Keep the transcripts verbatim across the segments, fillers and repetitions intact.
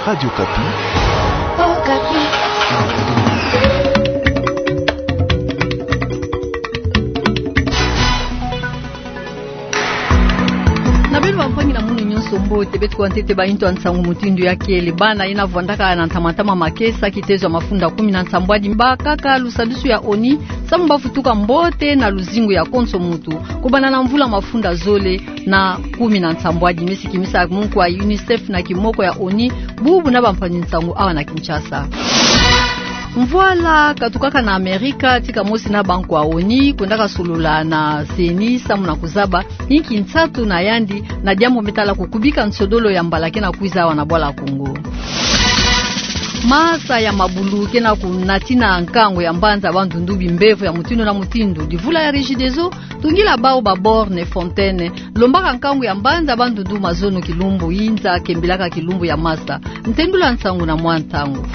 Radio Okapi. Okapi. Na beno bampangi na munu nyonso mbote, beto kuwa ntete ba yinto ya nsangu mutindu ya kele. Bana yina vwandaka na ntama-ntama makesa, kitezo ya mafunda kumi na nsambwadi, bakaka lusadusu ya ONI samu bafutuka mbote na luzingu ya konso muntu, kubanda na mvula mafunda zole na kumi na nsambwadi. Mesi kimisa munku ya UNICEF na kimoko ya ONI, bubu na bampangi nsangu awa na Kinshasa. Mvwala katukaka na Amerika, tika mosi na bankwa ONI, kwendaka solola na CENI samu na kuzaba inki nsatu na yandi na diambu me tala kukubika nsodolo ya mbala ke na kwiza awa na bwala Kongo. Masa ya mabulu ke na kunatina nkangu ya mbanza Bandundu, bimbevo ya mutindu na mutindu. Divula ya Regideso tungila bawu ba borne, fontaine, lombaka nkangu ya mbanza Bandundu mazono kilumbu, yinza kembilaka kilumbu ya masa. Ntendula nsangu na mwa ntangu.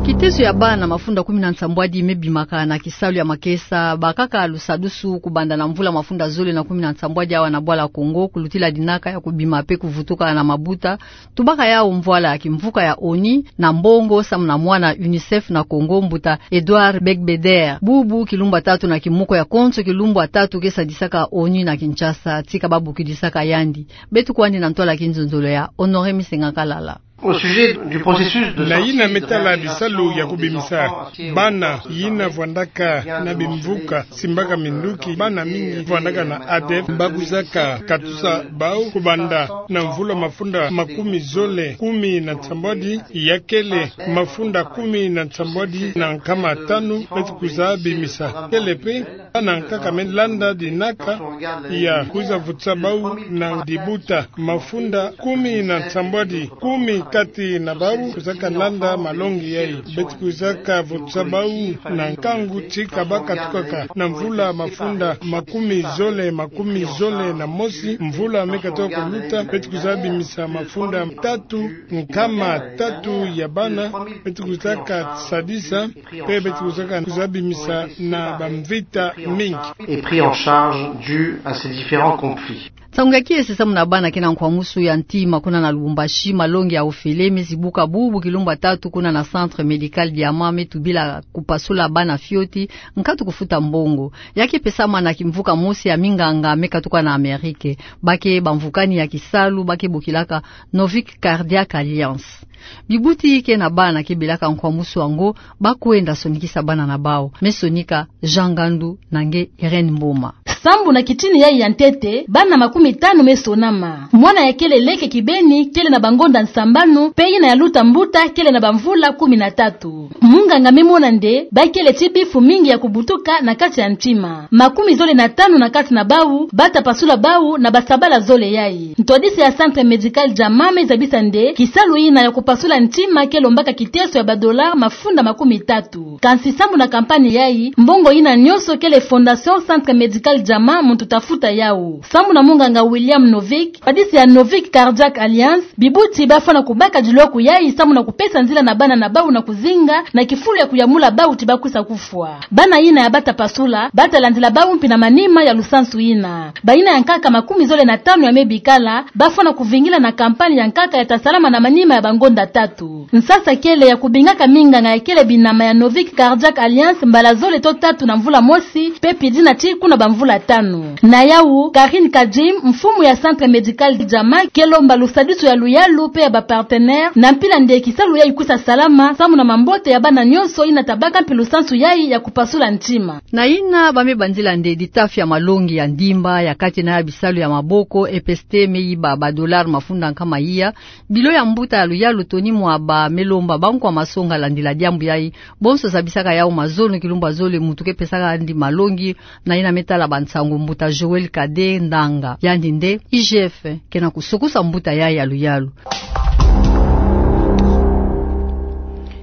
Kitezo ya bana mafunda kumi na nsambwadi me bimaka na kisalu ya makesa, bakaka lusadusu kubanda na mvula mafunda zole na kumi na nsambwadi awa na bwala Kongo, kulutila dinaka ya kubima pe kuvutuka na mabuta. Tubaka yawu mvwala ya kimvuka ya ONI na mbongo samu na mwana UNICEF na Kongo, mbuta Edouard Begbeder. Bubu kilumbu ya tatu na kimoko ya konso kilumbu ya tatu ke sadisaka ONI na Kinshasa, tika babokidisaka yandi. Beto kwandi na ntwala ya kinzonzolo ya Honoré Misenga Kalala. Au sujet du processus de... Na yina me tala bisalu ya kubimisa bana yina vwandaka na bimvuka, simbaka minduki, bana mingi vwandaka na ADEPT, bakwizaka katusa bawu kubanda na mvula mafunda makumi zole kumi na nsambwadi, ya kele mafunda kumi na nsambwadi na nkama tanu, beto kwiza bimisa. Kele pe bana nkaka me landa dinaka ya kwiza vutisa bawu na dibuta. Mafunda kumi na nsambwadi, kumi kati na bawu kwizaka landa malongi yayi. Beto kwizaka vutisa bawu na nkangu tika bakatukaka na mvula mafunda makumi zole, makumi zole na mosi. Mvula me katuka kuluta, beto kwiza bimisa mafunda tatu, nkama tatu ya bana, beto kwizaka sadisa, pe beto kwizaka kwiza bimisa na bamvita mingi. Et pris en charge dû à ces différents conflits. Nsangu ya kiese samu na bana ke na nkwamusu ya ntima kuna na Lubumbashi. Malongi ya ofele me zibuka bubu kilumbu ya tatu kuna na Centre Médical Diamant, me tubila kupasula bana fioti, nkatu kufuta mbongo. Ya ke pesama na kimvuka mosi ya minganga me katuka na Amerike. Ba ke bamvukani ya kisalu ba ke bokilaka Novik Cardiac Alliance. Bibuti ke na bana ke belaka nkwamusu yango, ba kwenda sonikisa bana na bawu. Me sonika Jean Ngandu na nge Irène Mboma. Sambu na kitini yayi ya ntete, bana makumi tanu me sonama. Mwana ya kele leke kibeni kele na bangonda sambanu, pe yina ya luta mbuta kele na bamvula kumi na tatu. Munganga me mona nde ba kele ti bifu mingi ya kubutuka na kati ya ntima. Makumi zole na tanu na kati na bawu ba ta pasula bawu na basabala zole yayi. Ntwadisi ya Centre Médical Diamant me zabisa nde kisalu yina ya kupasula ntima ke lombaka kiteso ya ba dollars mafunda makumi tatu. Kansi sambu na campagne yayi, mbongo yina nyonso kele Fondation Centre Médical Diamant muntu ta futa yawu. Sambu na munganga William Novik, ntwadisi ya Novik Cardiac Alliance, bibuti ba fwana kubaka diloku yayi samu na kupesa nzila na bana na bawu na kuzinga na kifulu ya kuyamula bawu ti ba kwisa kufwa. Bana yina ya ba ta pasula, ba ta landila bawu mpi na manima ya lusansu yina. Bayina ya nkaka makumi zole na tanu ya me bikala, ba fwana kuvingila na campagne ya nkaka ya ta salama na manima ya bangonda tatu. Nsasa kele ya kubingaka minganga ya kele binama ya Novik Cardiac Alliance mbala zole to tatu na mvula mosi, pe pidina ti kuna bamvula tanu. Na yawu, Karine Kadjim, mfumu ya Centre Médical Diamant, ke lomba lusadisu ya luyalu pe ya ba partenaires, na mpila nde kisalu yayi kwisa salama, samu na mambote ya bana nyonso yina ta baka mpi lusansu yayi ya kupasula ntima. Na yina ba me bandila nde ditafi ya malongi ya ndimba ya kati na ya bisalu ya maboko, E P S T me yiba ba dollars mafunda nkama iya. Bilo ya mbuta ya luyalu Tony Mwaba me lomba bankwa masonga landila diambu yayi. Bonso zabisaka yawu mazono kilumbu ya zole muntu ke pesaka yandi malongi na yina me tala bansangu, mbuta Joël Cadet Ndanga. Yandi nde I G F ke na kusokosa mbuta yayi ya luyalu.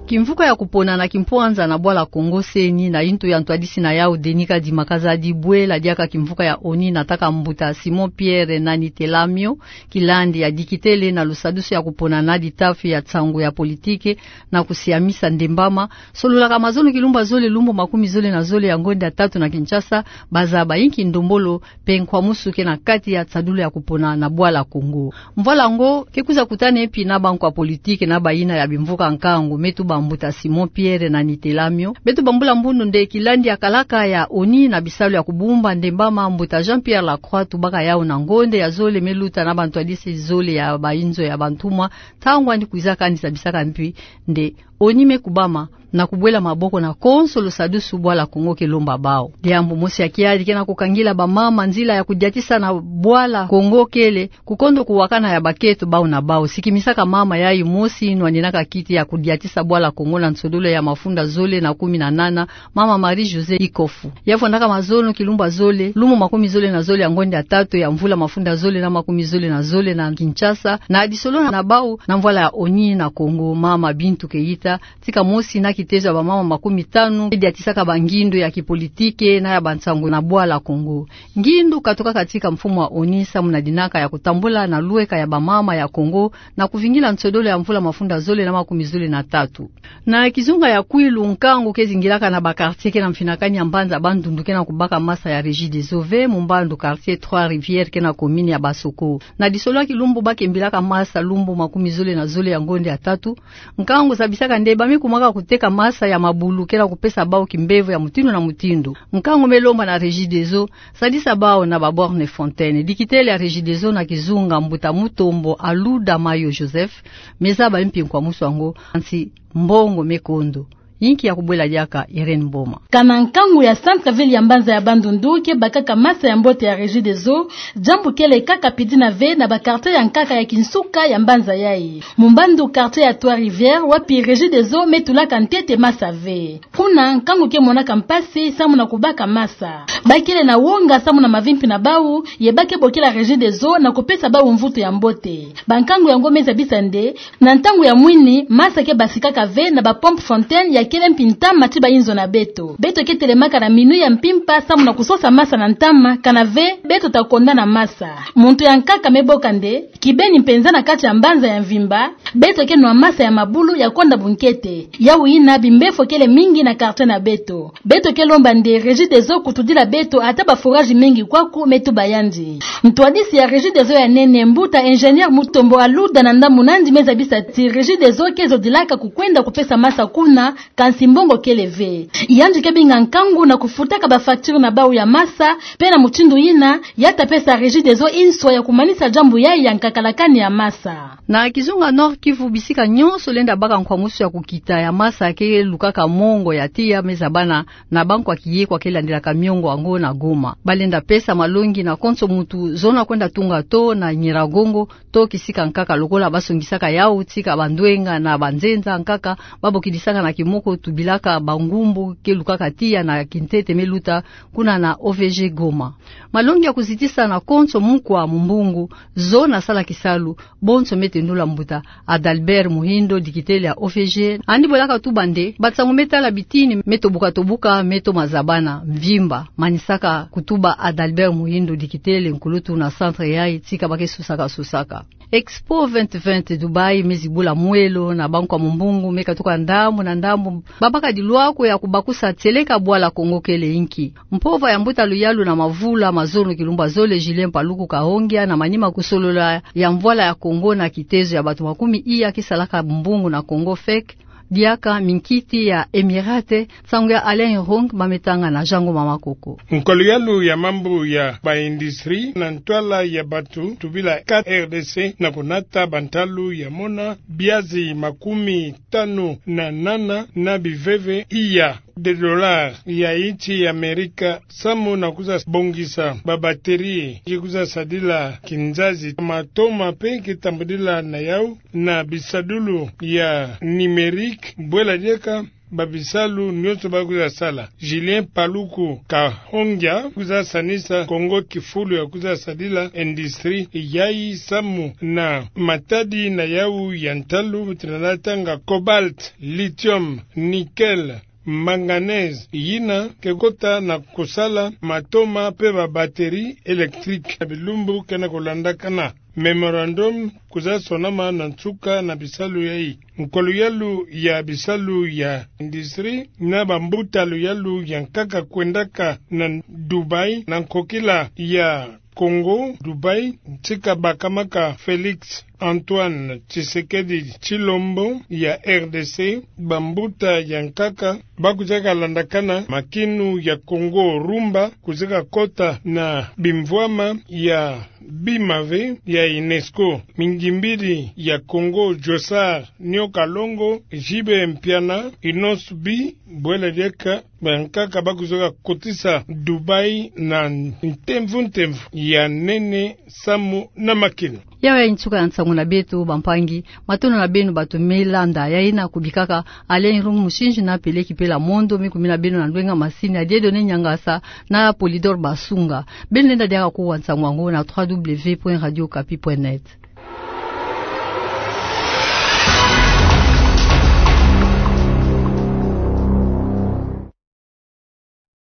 Kimvuka ya kupona na kimpwanza na bwala Kongo C E N I na intu ya ntwadisi na yau Denis Kadima Kazadi, bwela diaka kimvuka ya ONI na taka mbuta Simon Pierre Nani Telamio, kilandi ya dikitele na lusadusu ya kupona na ditafi ya nsangu ya politike na kusiamisa ndembama, sololaka mazono kilumbu zole lumbu makumi zole na zole ya ngonde ya tatu na Kinshasa, bazaba inki ndombolo mpe nkwamusu ke na kati ya nsadulu ya kupona na bwala Kongo. Mvwala ngo ke kwiza kutana mpi na bankwa politike na bayina ya bimvuka nkangu, me tuba mbuta Simon Pierre Nani Telamio. Beto bambula mbundu nde kilandi ya kalaka ya ONI na bisalu ya kubumba ndembama, mbuta Jean-Pierre Lacroix tubaka yau na ngonde ya zole me luta na bantwadisi zole ya bayinzo ya bantumwa, ntangu ani kwiza kani zabisaka mpi nde ONI me kubama na kubwela maboko na konso lusadusu bwala Kongo ke lomba bau. Diambu mosi ya kiadi ke na kukangila bamama nzila ya kudiatisa na bwala Kongo kele kukondo kuwakana ya baketo bau na bau. Sikimisaka mama yayi mosi nwaninaka kiti ya kudiatisa bwala Kongo na nsodolo ya mafunda zole na kumi na nana, mama Marie-Josée Ikofu. Ya fwandaka mazono kilumbu zole lumbu makumi zole na zole ya ngonde ya tatu ya mvula mafunda zole na makumi zole na zole na Kinshasa, na disolo na bau na mvwala ya ONI na Kongo, mama Bintou Keita, tika mosi na kitezo ya bamama makumi tanu diatisaka bangindu ya kipolitike na ya bansangu na bwala Kongo. Ngindu katukaka tika mfumu wa ONI samu na dinaka ya kutambula na lweka ya bamama ya Kongo na kuvingila nsodolo ya mvula mafunda zole na makumi zole na tatu. Na kizunga ya kwilu, nkangu ke zingilaka na ba quartier ke na mfinakani ya mbanza Bandundu ke na kubaka masa ya Regideso ve, mu mbandu quartier Trois Rivières ke na commune ya Basoko. Na disolo ya kilumbu ba kembilaka masa lumbu makumi zole na zole ya ngonde ya tatu, nkangu zabisaka nde ba me kumaka kuteka masa ya mabulu ke na kupesa bau kimbevo ya mutindu na mutindu. Nkangu me lomba na Regideso sadisa bau na ba borne fontaine. Dikitele ya Regideso na kizunga, mbuta Mutombo Aluda Mayo Joseph, me zaba mpi nkwamusu yango, kansi mbongo me kondo. Inki ya kubwela diaka Irène Mboma. Kana nkangu ya centre-ville ya mbanza ya Bandundu ke bakaka masa ya mbote ya Regideso, diambu kele kaka pidina ve na ba quartier ya nkaka ya kinsuka ya mbanza yayi. Mu mbandu quartier ya Trois Rivières, wapi Regideso me tulaka ntete masa ve. Kuna nkangu ke monaka mpasi samu na kubaka masa. Ba kele na wonga samu na mavimpi na bau, ye ba ke bokila Regideso na kupesa bau mvutu ya mbote. Bankangu yango me zabisa nde, na ntangu ya mwini, masa ke basikaka ve na ba pompe fontaine ya kele mpi ntama ti bayinzo na beto. Beto ke telemaka na minuit ya mpimpa samu na kusosa masa na ntama, kana ve beto ta konda na masa. Muntu ya nkaka me boka nde, kibeni mpenza na kati ya mbanza ya mvimba, beto ke nwa masa ya mabulu ya konda bunkete. Yau yina bimbefo kele mingi na quartier na beto. Beto ke lomba nde Regideso kutudila beto ata ba forage mingi kwaku, me tuba yandi. Ntwadisi ya Regideso ya nene, mbuta ingénieur Mutombo Aluda, na ndambu na yandi me zabisa ti Regideso ke zodilaka kukwenda kupesa masa kuna, kansi mbongo kele ve. Yandi ke binga nkangu na kufutaka ba facture na bau ya masa, mpe na mutindu yina, ya ta pesa Regideso inswa ya kumanisa diambu yayi ya nkakalakani ya masa. Na kizunga Nord-Kivu, bisika nyonso lenda baka nkwamusu ya kukita ya masa ke lukaka mongo ya tiya, me zabana na bankwa kiye kwa ke landilaka miongo yango na Goma. Ba lenda pesa malongi na konso muntu zona kwenda tunga too na Nyiragongo, to kisika nkaka lokola ba songisaka yau tika bandwenga na banzenza nkaka ba bokidisaka na kimoko tubilaka bangumbu ke lukaka tiya na kintete me luta kuna na O V G Goma. Malongi ya kuzitisa na konso mukwa mumbungu, zona sala kisalu, bonso me tendula mbuta Adalbert Muhindo, dikitele ya O V G. Yandi bwelaka tuba nde bansangu me tala bitini me tobuka-tobuka, me toma zabana mvimba, manisaka kutuba Adalbert Muhindo, dikitele nkulutu na centre yayi, tika ba ke susaka-susaka. Expo vingt vingt Dubaï me zibula mwelo na bankwa mumbungu me katuka ndambu na ndambu, ba baka dilwako ya kubakusa tieleka bwala Kongo kele inki. Mpova ya mbuta luyalu na mavula mazono kilumbu zole, Julien Paluku Kahongya, na manima kusolola ya mvwala ya Kongo na kitezo ya bantu makumi iya ke salaka mbungu na Kongo, fek diaka minkiti ya Emirate, nsangu ya Alain Irung, ba me tanga na Jean Ngoma Makoko. Nkwa luyalu ya mambu ya ba industrie na ntwala ya bantu tubila ka R D C na kunata bantalu ya mona biazi makumi tanu na nana na biveve iya de dollars ya insi ya Amerika, samu na kwiza bongisa ba batterie, ki kwiza sadila kinzazi, matoma mpe ki tambudila na yau na bisadulu ya numérique, bwela diaka babisalu nionso ba kwiza sala. Julien Paluku Kahongya kwiza sanisa Kongo kifulu ya kwiza sadila industrie yayi samu na matadi na yawu ya ntalu, tena natanga cobalt, lithium, nickel, manganèse, yina ke kota na kusala matoma pe ba batterie électrique na bilumbu ke na kulandakana. Mémorandum kwiza sonama na nsuka na bisalu yayi. Nkolo yalu ya bisalu ya industrie na bambutalu yalu ya nkaka kwendaka na Dubaï na nkokila ya Kongo, Dubaï, ntsika bakamaka Félix Antoine Tshisekedi Tshilombo ya R D C, bambuta ya nkaka ba kwiza kalandakana makinu ya Kongo rumba, kwiza kakota na bimvwama ya bima ve ya UNESCO. Mingimbili ya Kongo Jossart Niokalongo, Jibe Mpiana, Innoss B, bwela diaka bankaka ba kwiza kakotisa Dubaï na ntemvu ntemvu ya nene samu na makinu. Yawe ya nsuka ya nsangu na beto bampangi. Matondo na beno bato me landa. Yayi na kubikaka Alain Irung Musinji na Pele Kipela Mondo, me kumina beno na ndwenga masini ya Dieudonné Niangasa na Polydor Basunga. Beno lenda diaka kuwa nsangu yango na trois W point radio okapi point net.